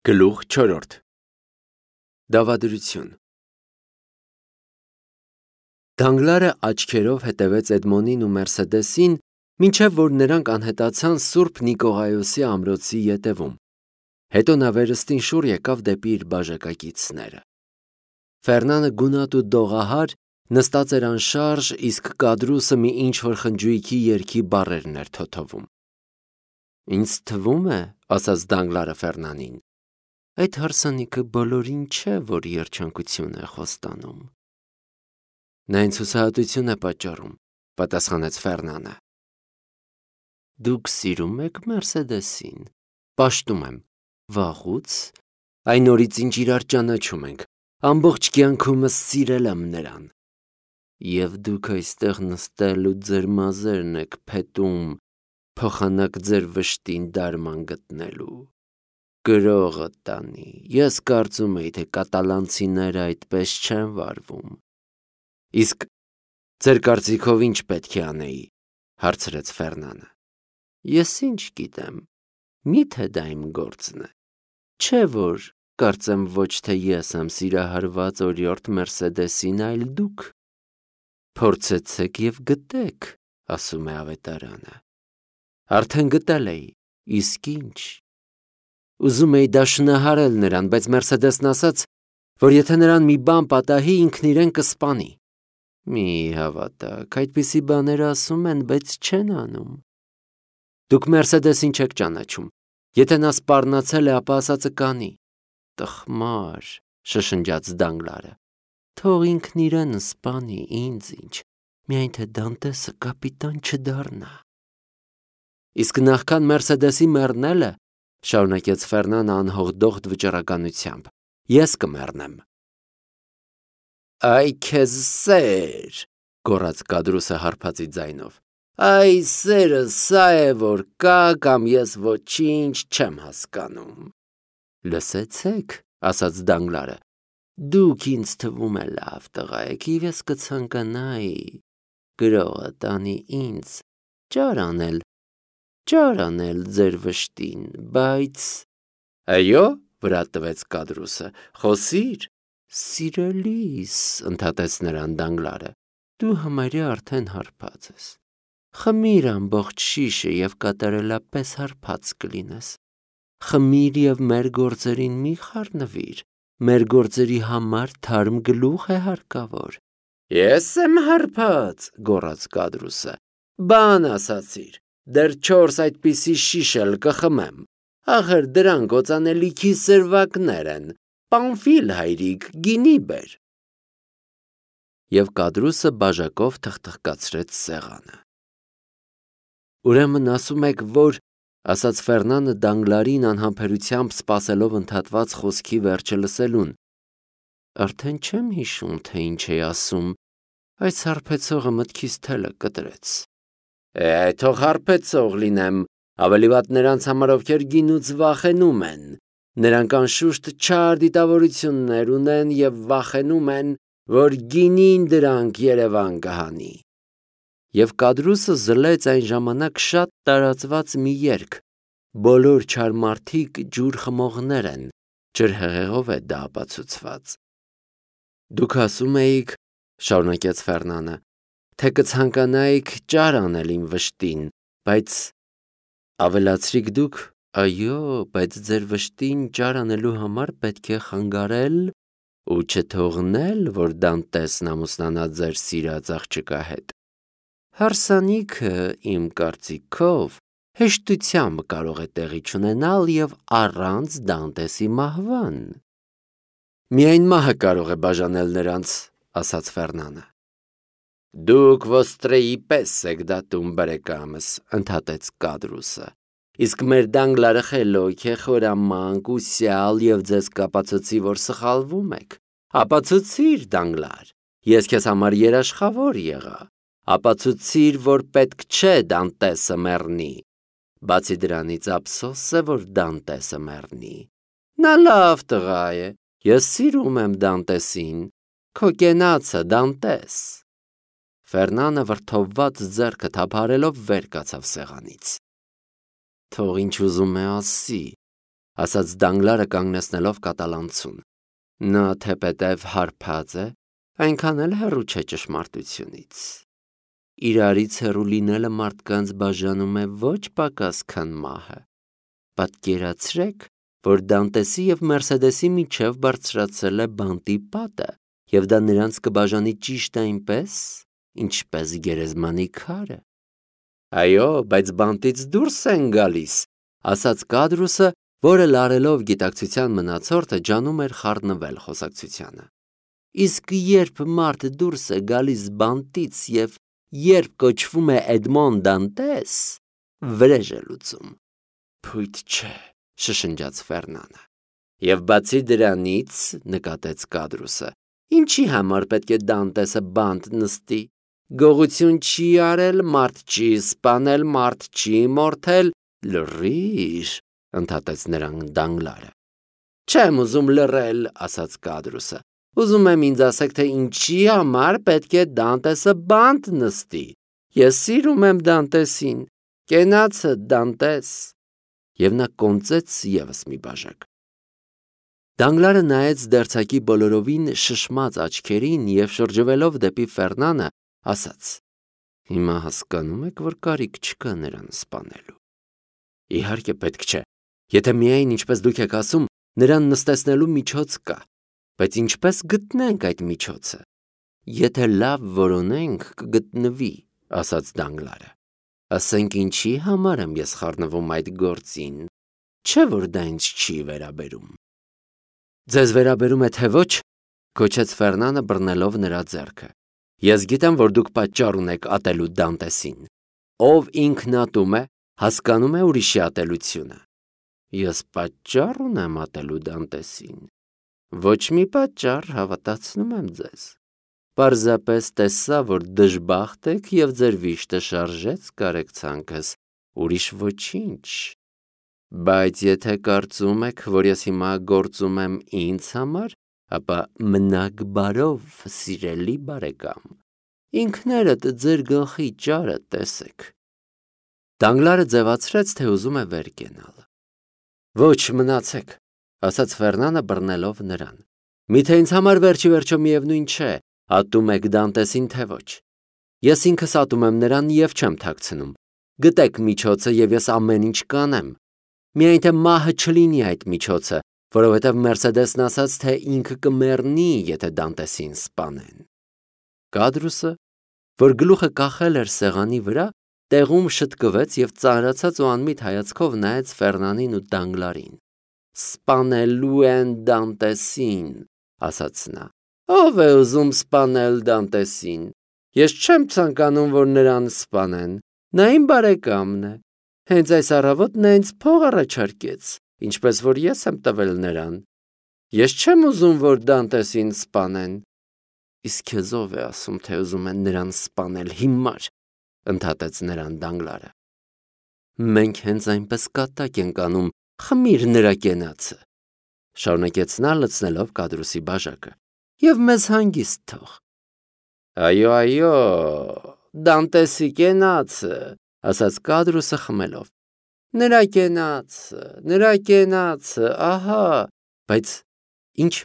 Գլուխ 4 Դավադրություն Դանգլարը աչքերով հետևեց Էդմոնին ու Մերսեդեսին, մինչև որ նրանք անհետացան Սուրբ Նիկողայոսի ամրոցի ետևում։ Հետո նա վերստին շուռ եկավ դեպի իր բաժակակիցները։ Ֆերնանը գունատ ու դողահար նստած էր անշարժ, իսկ Կադրուսը մի ինչ-որ խնջույքի երգի բառերն էր թոթովում։ «Ինձ թվում է, — ասաց Դանգլարը Ֆերնանին, — այդ հարսանիքը բոլորին չէ, որ երջանկություն է խոստանում»։ «Նա ինձ հուսահատություն է պատճառում», — պատասխանեց Ֆերնանը։ «Դուք սիրում եք Մերսեդեսին»։ «Պաշտում եմ, վաղուց, այն օրից ինչ իրար ճանաչում ենք, ամբողջ կյանքումս սիրել եմ նրան»։ «Եվ դուք այստեղ նստել ու ձեր մազերն եք փետում, փոխանակ ձեր վշտին դարման գտնելու։ Գրողը տանի, ես կարծում էի, թե կատալանցիները այդպես չեն վարվում»։ «Իսկ ձեր կարծիքով ինչ պետք է անեի», — հարցրեց Ֆերնանը։ «Ես ինչ գիտեմ, միթե դա իմ գործն է։ Չէ՞ որ կարծեմ ոչ թե ես եմ սիրահարված օրիորդ Մերսեդեսին, այլ դուք։ Փորձեցեք և գտեք, ասում է ավետարանը։ Արդեն գտել էի, իսկ ինչ։ Ուզում էի դաշնահարել նրան, բայց Մերսեդեսն ասաց, որ եթե նրան մի բան պատահի, ինքն իրեն կսպանի։ Մի հավատաք, այդպիսի բաներ ասում են, բայց չեն անում։ Դուք Մերսեդեսին չեք ճանաչում։ Եթե նա սպառնացել է, ապա ասածը կանի։ Տխմար, շշնջաց Դանգլարը։ Թող ինքն իրեն սպանի, ինձ ինչ, միայն թե Դանտեսը կապիտան չդառնա։ Իսկ նախքան Մերսեդեսի մեռնելը, շարունակեց Ֆերնանը անհողդողդ վճռականությամբ, ես կմեռնեմ։ Այ քեզ սեր, գոռաց Կադրուսը հարբածի ձայնով։ Այ սերը սա է, որ կա, կամ ես ոչինչ չեմ հասկանում։ Լսեցեք, ասաց Դանգլարը, դուք ինձ թվում է լավ տղա եք, և ես կցանկանայի գրողը տանի ինձ ճար անել ձեր վշտին, բայց… Այո, վրա տվեց Կադրուսը, խոսիր։ Սիրելիս, ընդհատեց նրան Դանգլարը, դու համարյա արդեն հարբած ես։ Խմիր ամբողջ շիշը և կատարելապես հարբած կլինես։ Խմիր և մեր գործերին մի խառնվիր, մեր գործերի համար թարմ գլուխ է հարկավոր։ Ես եմ հարբած, գոռաց Կադրուսը, բան ասացիր, դեռ 4 այդպիսի շիշ էլ կխմեմ, ախր դրանք օծանելիքի սրվակներ են, Պանֆիլ հայրիկ, գինի բեր։ Եվ Կադրուսը բաժակով թխթխկացրեց սեղանը։ Ուրեմն ասում եք, որ, ասաց Ֆերնանը Դանգլարին անհամբերությամբ սպասելով ընդհատված խոսքի վերջը լսելուն, արդեն չեմ հիշում, թե ինչ էի ասում, այս հարբեցողը մտքիս թելը կտրեց։ Թող հարբեցող լինեմ, ավելի վատ նրանց համար, ովքեր գինուց վախենում են, նրանք անշուշտ չար դիտավորություններ ունեն և վախենում են, որ գինին դրանք երևան կհանի։ Եվ Կադրուսը զլեց այն ժամանակ շատ տարածված մի երգ, բոլոր չար մարդիկ ջուր խմողներ են, ջրհեղեղով է դա ապացուցված։ Դուք ասում էիք, շարունակեց Ֆերնանը, թե կցանկանայիք ճար անել իմ վշտին, բայց ավելացրիք դուք, այո, բայց ձեր վշտին ճար անելու համար պետք է խանգարել ու չթողնել, որ Դանտեսն ամուսնանա ձեր սիրած աղջկա հետ։ Հարսանիքը, իմ կարծիքով, հեշտությամբ կարող է տեղի չունենալ և առանց Դանտեսի մահվան։ Միայն մահը կարող է բաժանել նրանց, ասաց Ֆերնանը։ Դուք ոստրեի պես եք դատում, բարեկամս, ընդհատեց Կադրուսը, իսկ մեր Դանգլարը խելոք է, խորամանկ, ուսյալ և ձեզ կապացուցի, որ սխալվում եք։ Ապացուցիր, Դանգլար, ես քեզ համար երաշխավոր եղա, ապացուցիր, որ պետք չէ Դանտեսը մեռնի։ Բացի դրանից ափսոս է, որ Դանտեսը մեռնի։ Նա լավ տղա է, ես սիրում եմ Դանտեսին, քո կենացը Դանտես։ Ֆերնանը վրդովված ձեռքը թափահարելով վեր կացավ սեղանից։ Թող ինչ ուզում է ասի, ասաց Դանգլարը կանգնեցնելով կատալանցուն։ Նա թեպետև հարբած է, այնքան էլ հեռու չէ ճշմարտությունից։ Իրարից հեռու լինելը մարդկանց բաժանում է ոչ պակաս քան մահը։ Պատկերացրեք, որ Դանտեսի և Մերսեդեսի միջև բարձրացել է բանտի պատը, և դա նրանց կբաժանի ճիշտ այնպես, ինչպես գերեզմանի քարը։ Այո, բայց բանտից դուրս են գալիս, ասաց Կադրուսը, որը լարելով գիտակցության մնացորդը ջանում էր խառնվել խոսակցությանը։ Իսկ երբ մարդ դուրս է գալիս բանտից և երբ կոչվում է Էդմոն Դանտես, վրեժ է լուծում։ Փույթ չէ, շշնջաց Ֆերնանը։ Եվ բացի դրանից, նկատեց Կադրուսը, ինչի համար պետք է Դանտեսը բանտ նստի։ Գողություն չի արել, մարդ չի սպանել, մարդ չի մորթել, լռիր, ընդհատեց նրան Դանգլարը։ Չեմ ուզում լռել, ասաց Կադրուսը։ Ուզում եմ ինձ ասեք, թե ինչի համար պետք է Դանտեսը բանտ նստի։ Ես սիրում եմ Դանտեսին, կենացը Դանտես։ Եվ նա կոնծեց ևս մի բաժակ։ Դանգլարը նայեց դերձակի բոլորովին շշմած աչքերին և շրջվելով դեպի Ֆերնանը, ասաց. Հիմա հասկանում եք, որ կարիք չկա նրան սպանելու։ Իհարկե պետք չէ։ Եթե միայն ինչպես դուք եք ասում, նրան նստեցնելու միջոց կա, բայց ինչպես գտնենք այդ միջոցը։ Եթե լավ որոնենք, կգտնվի, ասաց Դանգլարը։ Ասենք ինչի համար եմ ես խառնվում այդ գործին, չէ որ դա ինձ չի վերաբերում։ Ձեզ վերաբերում է թե ոչ, գոչեց Ֆերնանը բռնելով նրա ձեռքը։ Ես գիտեմ, որ դուք պատճառ ունեք ատելու Դանտեսին։ Ով ինքնատում է, հասկանում է ուրիշի ատելությունը։ Ես պատճառ ունեմ ատելու Դանտեսին։ Ոչ մի պատճառ, հավատացնում եմ ձեզ։ Պարզապես տեսա, որ դժբախտ եք և ձեր վիշտը շարժեց կարեկցանքս, ուրիշ ոչինչ։ Բայց եթե կարծում եք, որ ես հիմա գործում եմ ինձ համար, ապա մնաք բարով, սիրելի բարեկամ, ինքներդ ձեր գլխի ճարը տեսեք։ Դանգլարը ձևացրեց, թե ուզում է վեր կենալ։ Ոչ, մնացեք, ասաց Ֆերնանը բռնելով նրան։ Միթե ինձ համար վերջի վերջո միևնույն չէ, ատում եք Դանտեսին թե ոչ։ Ես ինքս ատում եմ նրան և չեմ թաքցնում։ Գտեք միջոցը և ես ամեն ինչ կանեմ։ Միայն թե մահը չլինի այդ միջոցը, որովհետև Մերսեդեսն ասաց, թե ինքը կմեռնի, եթե Դանտեսին սպանեն։ Կադրուսը, որ գլուխը կախել էր սեղանի վրա, տեղում շտկվեց և ծանրացած ու անմիտ հայացքով նայեց Ֆերնանին ու Դանգլարին։ Սպանելու են Դանտեսին, ասաց նա։ Ով է ուզում սպանել Դանտեսին։ Ես չեմ ցանկանում, որ նրան սպանեն։ Նա իմ բարեկամն է։ Հենց այս առավոտ նա ինձ փող առաջարկեց, ինչպես որ ես եմ տվել նրան։ Ես չեմ ուզում, որ Դանտեսին սպանեն։ Իսկ քեզ ով է ասում, թե ուզում են նրան սպանել հիմար, ընդհատեց նրան Դանգլարը։ Մենք հենց այնպես կատակ ենք անում, խմիր նրա կենացը, շարունակեց նա լցնելով Կադրուսի բաժակը, և մեզ հանգիստ թող։ Այո, Դանտեսի կենացը, ասաց Կադրուսը խմելով։ Նրա կենացը, ահա, բայց ինչ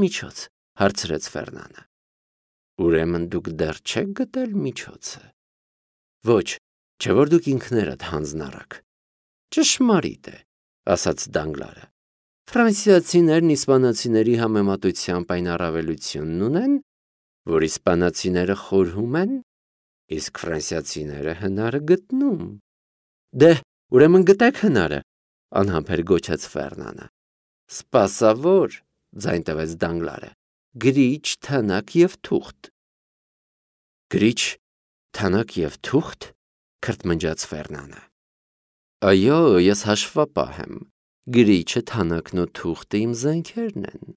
միջոց, հարցրեց Ֆերնանը։ Ուրեմն դուք դեռ չեք գտել միջոցը։ Ոչ, չէ որ դուք ինքներդ հանձնառակ։ Ճշմարիտ է, ասաց Դանգլարը։ Ֆրանսիացիներն իսպանացիների համեմատությամբ այն առավելությունն ունեն, որ իսպանացիները խորհում են, իսկ ֆրանսիացիները հնարը գտնում։ Դե, ուրեմն գտեք հնարը, անհամբեր գոչեց Ֆերնանը։ Սպասավոր, ձայն տվեց Դանգլարը, գրիչ, թանաք և թուղթ։ Գրիչ, թանաք և թուղթ, քրթմնջաց Ֆերնանը։ Այո, ես հաշվապահ եմ։ Գրիչը, թանաքն ու թուղթը իմ զենքերն են։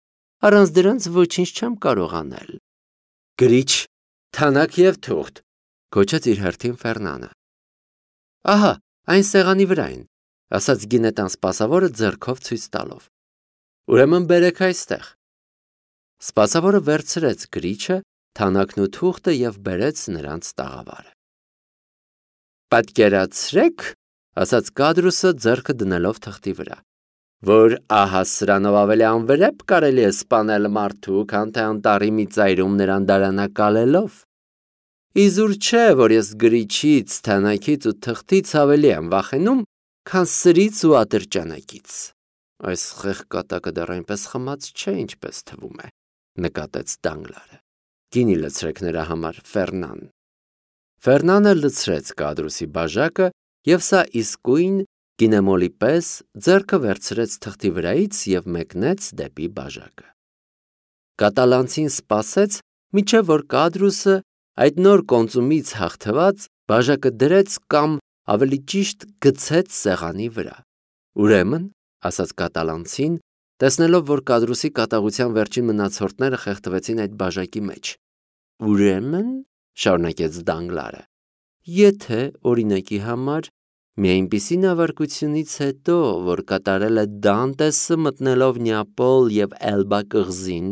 Առանց դրանց ոչինչ չեմ կարող անել։ Գրիչ, թանաք և թուղթ, գոչեց իր հերթին Ֆերնանը։ Ահա, այն սեղանի վրա են, ասաց գինետան սպասավորը ձեռքով ցույց տալով։ Ուրեմն բերեք այստեղ։ Սպասավորը վերցրեց գրիչը, թանաքն ու թուղթը և բերեց նրանց տաղավարը։ Պատկերացրեք, ասաց Կադրուսը ձեռքը դնելով թղթի վրա, որ ահա սրանով ավելի անվրեպ կարելի է սպանել մարդու, քան թե անտառի մի ծայրում նրան դարանակալելով։ Իզուր չէ, որ ես գրիչից, թանաքից ու թղթից ավելի եմ վախենում, քան սրից ու ատրճանակից։ Այս խեղկատակը դեռ այնպես խմած չէ, ինչպես թվում է, նկատեց Դանգլարը։ Գինի լցրեք նրա համար, Ֆերնան։ Ֆերնանը լցրեց Կադրուսի բաժակը, եւ սա իսկույն գինեմոլի պես ձեռքը վերցրեց թղթի վրայից եւ մեկնեց դեպի բաժակը։ Կատալանցին սպասեց, մինչև որ Կադրուսը այդ նոր կոնծումից հաղթված բաժակը դրեց կամ ավելի ճիշտ գցեց սեղանի վրա։ Ուրեմն, ասաց կատալանցին, տեսնելով, որ Կադրուսի կատաղության վերջին մնացորդները խեղդվեցին այդ բաժակի մեջ։ Ուրեմն, շարունակեց Դանգլարը, եթե օրինակի համար մի այնպիսի նավարկությունից հետո, որ կատարել է Դանտեսը մտնելով Նեապոլ եւ Էլբա կղզին,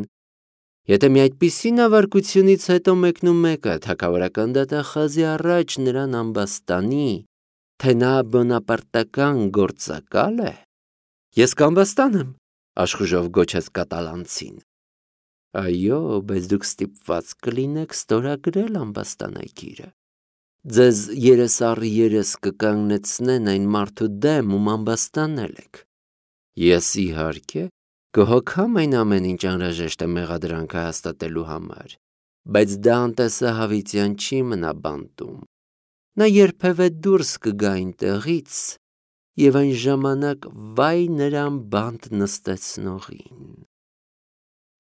եթե մի այդպիսի նավարկությունից հետո մեկնումեկը թագավորական դատախազի առաջ նրան ամբաստանի, թե նա բոնապարտական գործակալ է, ես կամբաստան եմ, աշխուժով գոչեց կատալանցին։ Այո, բայց դուք ստիպված կլինեք ստորագրել ամբաստանագիրը։ Ձեզ երես առ երես կկանգնեցնեն այն մարդու դեմ, ում ամբաստանել եք։ Ես իհարկե կհոգամ այն ամեն ինչ անհրաժեշտ է մեղադրանքը հաստատելու համար, բայց Դանտեսը հավիտյան չի մնա բանտում։ Նա երբևէ դուրս կգա այնտեղից, եւ այն ժամանակ վայ նրան բանտ նստեցնողին։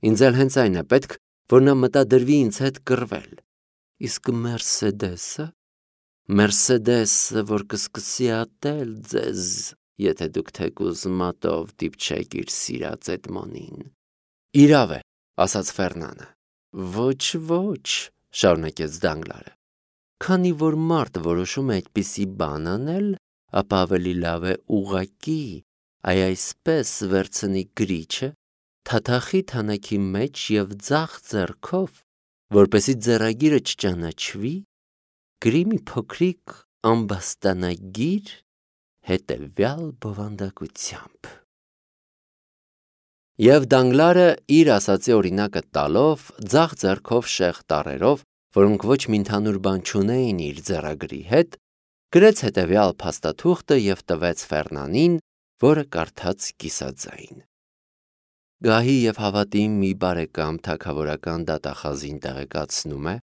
Ինձ էլ հենց այն է պետք, որ նա մտադրվի ինձ հետ կռվել։ Իսկ Մերսեդեսը, որ կսկսի ատել ձեզ, եթե դուք թեկուզ մատով դիպչեք իր սիրած Էդմոնին։ Իրավ է, ասաց Ֆերնանը։ Ոչ, շարունակեց Դանգլարը։ Քանի որ մարդ որոշում է այդպիսի բան անել, ապա ավելի լավ է ուղղակի, այսպես վերցնի գրիչը, թաթախի թանաքի մեջ եւ ձախ ձեռքով, որպեսի ձեռագիրը չճանաչվի, գրի մի փոքրիկ ամբաստանագիր հետևյալ բովանդակությամբ։ Եվ Դանգլարը իր ասացի օրինակը տալով, ձախ ձեռքով շեղ տառերով, որոնք ոչ մի ընդհանուր բան չունեին իր ձեռագրի հետ, գրեց հետևյալ փաստաթուղթը եւ տվեց Ֆերնանին, որը կարդաց կիսաձայն։ Գահի եւ հավատի մի բարեկամ թագավորական դատախազին տեղեկացնում է,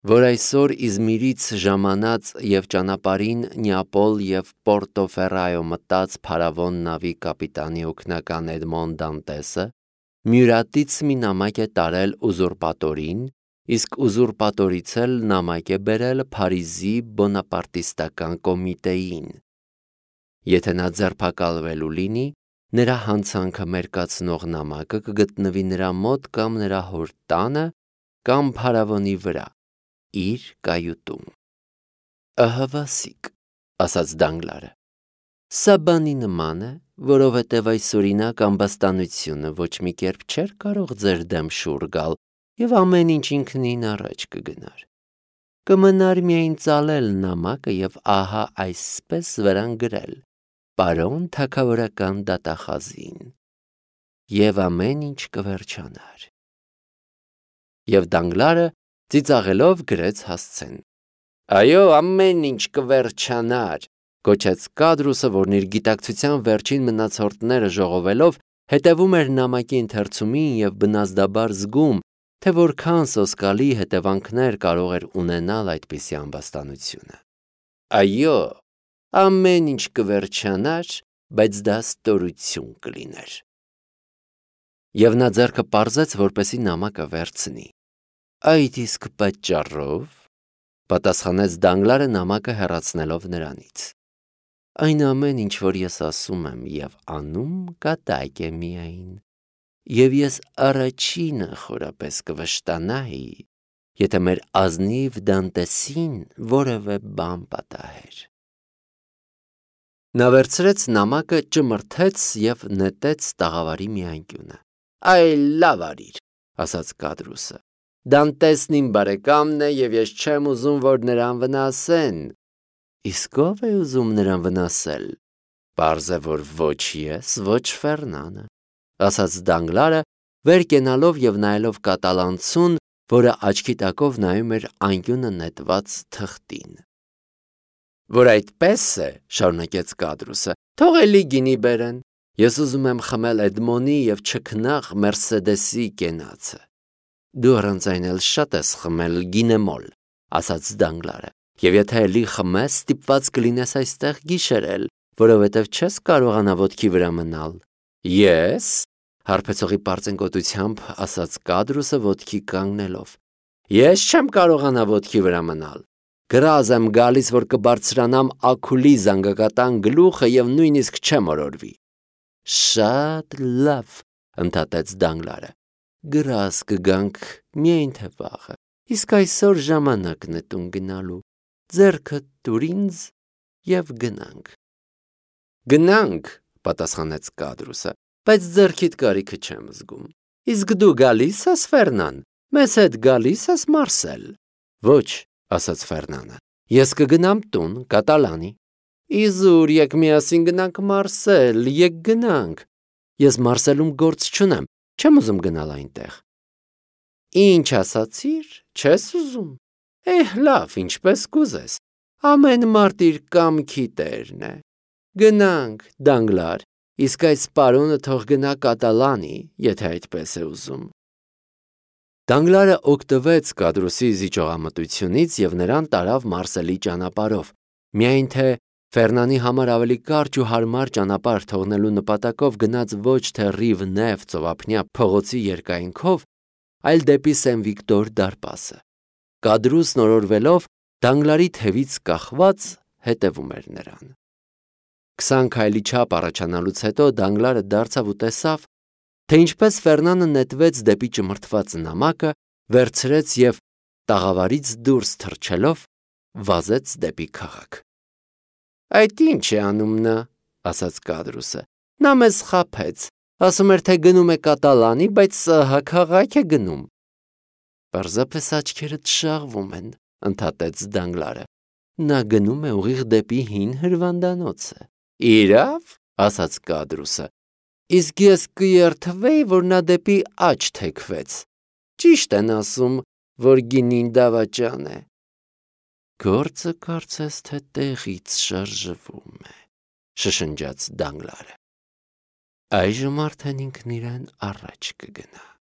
որ այսօր Իզմիրից ժամանած եւ ճանապարհին Նեապոլ եւ Պորտոֆերայո մտած փարավոն նավի կապիտանի օգնական Էդմոն Դանտեսը Մյուրատից մի նամակ է տարել ուզուրպատորին, իսկ ուզուրպատորից էլ նամակ է բերել Փարիզի բոնապարտիստական կոմիտեին։ Եթե նա ձերբակալվելու լինի, նրա հանցանքը մերկացնող նամակը կգտնվի նրա մոտ կամ նրա հոր տանը կամ փարավոնի վրա, իր կայուտում։ Ահավասիկ, ասաց Դանգլարը։ Սա բանի նման է, որովհետև այսօրինակ ամբաստանությունը ոչ մի կերպ չէր կարող ձեր դեմ շուռ գալ եւ ամեն ինչ ինքնին առաջ կգնար։ Կմնար միայն ծալել նամակը եւ ահա այսպես վրան գրել. Պարոն թագավորական դատախազին, եւ ամեն ինչ կվերջանար։ Եվ Դանգլարը ծիծաղելով գրեց հասցեն։ Այո, ամեն ինչ կվերջանար, գոչեց Կադրուսը, որն իր գիտակցության վերջին մնացորդները ժողովելով հետևում էր նամակի ընթերցումին եւ բնազդաբար զգում, թե որքան սոսկալի հետևանքներ կարող էր ունենալ այդպիսի ամբաստանությունը։ Այո, ամեն ինչ կվերջանար, բայց դա ստորություն կլիներ։ Եվ նա ձեռքը պարզեց, որպեսի նամակը վերցնի։ Այդ իսկ պատճառով, պատասխանեց Դանգլարը նամակը հեռացնելով նրանից։ Այն ամեն ինչ, որ ես ասում եմ եւ անում, կատակ է միայն, եւ ես առաջինը խորապես կվշտանայի, եթե մեր ազնիվ Դանտեսին որևէ բան պատահեր։ Նա վերցրեց նամակը, ճմրթեց եւ նետեց տաղավարի մի անկյունը։ Այ լավ արիր, ասաց Կադրուսը։ Դանտեսն իմ բարեկամն է եւ ես չեմ ուզում, որ նրան վնասեն։ Իսկ ով է ուզում նրան վնասել։ Պարզ է, որ ոչ ես, ոչ Ֆերնանը, ասաց Դանգլարը, վեր կենալով եւ նայելով կատալանցուն, որը աչքի տակով նայում էր անկյունը նետված թղթին։ Որ այդպես է, շարունակեց Կադրուսը, թող էլի գինի բերեն։ Ես ուզում եմ խմել Էդմոնի եւ չքնաղ Մերսեդեսի կենացը։ Դու առանց այն էլ շատ ես խմել գինեմոլ, ասաց Դանգլարը, եւ եթե էլի խմես, ստիպված կլինես այստեղ գիշերել, որովհետեւ չես կարողանա ոտքի վրա մնալ։ Ես, հարբեցողի պարծենկոտությամբ ասաց Կադրուսը ոտքի կանգնելով։ Ես չեմ կարողանա ոտքի վրա մնալ։ Գրազ եմ գալիս, որ կբարձրանամ Աքուլի զանգակատան գլուխը եւ նույնիսկ չեմ օրորվի։ Շատ լավ, ընդհատեց Դանգլարը։ Գրազ կգանք միայն թե վաղը։ Իսկ այսօր ժամանակն է տուն գնալու։ Ձեռքը տուր ինձ եւ գնանք։ Գնանք, պատասխանեց Կադրուսը, բայց ձեռքիդ կարիքը չեմ զգում։ Իսկ դու գալիս ես, Ֆերնան, մեզ հետ գալիս ես, Մարսել։ Ոչ, ասաց Ֆերնանը, ես կգնամ տուն, կատալանի։ Իզուր, եկ միասին գնանք Մարսել, եկ գնանք։ Ես Մարսելում գործ չունեմ, չեմ ուզում գնալ այնտեղ։ Ինչ ասացիր, չես ուզում։ Լավ, ինչպես կուզես։ Ամեն մարդ իր կամքի տերն է։ Գնանք, Դանգլար, իսկ այս պարոնը թող գնա կատալանի, եթե այդպես է ուզում։ Դանգլարը օգտվեց Կադրուսի զիջողամտությունից եւ նրան տարավ Մարսելի ճանապարհով, միայն թե Ֆերնանի համար ավելի կարճ ու հարմար ճանապարհ թողնելու նպատակով գնաց ոչ թե Ռիվ Նև ծովափնյա փողոցի երկայնքով, այլ դեպի Սեն-Վիկտոր դարպասը։ Կադրուսն օրորվելով Դանգլարի թևից կախված հետևում էր նրան։ 20 քայլի չափ առաջանալուց հետո Դանգլարը դարձավ ու տեսավ, թե ինչպես Ֆերնանը նետվեց դեպի ճմրթված նամակը, վերցրեց եւ տաղավարից դուրս թռչելով վազեց դեպի քաղաք։ Այդ ինչ է անում նա, ասաց Կադրուսը։ Նա մեզ խաբեց, ասում էր, թե գնում է կատալանի, բայց սահա քաղաք է գնում։ Պարզապես աչքերդ շաղվում են, ընդհատեց Դանգլարը։ Նա գնում է ուղիղ դեպի հին հրվանդանոցը։ Իրավ, ասաց Կադրուսը, իսկ ես կերթվեի, որ նա դեպի աջ թեքվեց։ Ճիշտ են ասում, որ գինին դավաճան է։ Գործը կարծես թե տեղից շարժվում է, շշնջաց Դանգլարը։ Այժմ արդեն ինքն իրեն առաջ կգնա։